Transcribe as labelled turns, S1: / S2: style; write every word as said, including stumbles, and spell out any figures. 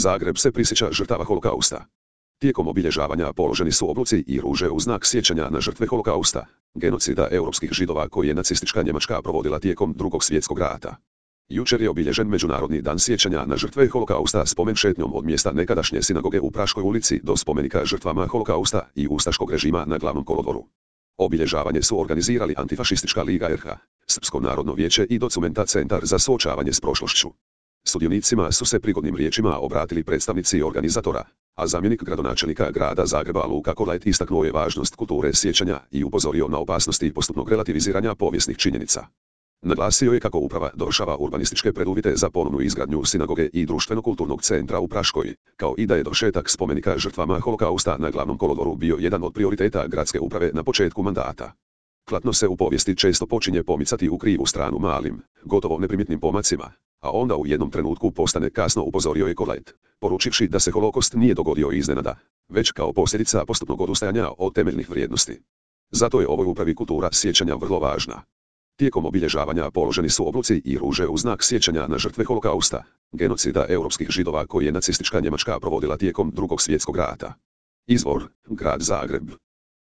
S1: Zagreb se prisjeća žrtava holokausta. Tijekom obilježavanja položeni su obloci i ruže u znak sjećanja na žrtve holokausta, genocida europskih Židova koji je nacistička Njemačka provodila tijekom Drugog svjetskog rata. Jučer je obilježen Međunarodni dan sjećanja na žrtve holokausta spomen šetnjom od mjesta nekadašnje sinagoge u Praškoj ulici do spomenika žrtvama holokausta i ustaškog režima na Glavnom kolodvoru. Obilježavanje su organizirali Antifašistička liga er ha, Srpsko narodno vijeće i Documenta centar za suočavanje s prošlošću. Sudionicima su se prigodnim riječima obratili predstavnici organizatora, a zamjenik gradonačelnika grada Zagreba Luka Kolajt istaknuo je važnost kulture sjećanja i upozorio na opasnosti postupnog relativiziranja povijesnih činjenica. Naglasio je kako uprava dovršava urbanističke preduvjete za ponovnu izgradnju sinagoge i društveno-kulturnog centra u Praškoj, kao i da je dovršetak spomenika žrtvama holokausta na Glavnom kolodvoru bio jedan od prioriteta gradske uprave na početku mandata. Klatno se u povijesti često počinje pomicati u krivu stranu malim, gotovo neprimjetnim pomacima, a onda u jednom trenutku postane kasno, upozorio je Kolajt, poručivši da se holokost nije dogodio iznenada, već kao posljedica postupnog odustajanja od temeljnih vrijednosti. Zato je ovoj upravi kultura sjećanja vrlo važna. Tijekom obilježavanja položeni su obloci i ruže u znak sjećanja na žrtve holokausta, genocida europskih Židova koji je nacistička Njemačka provodila tijekom Drugog svjetskog rata. Izvor: Grad Zagreb.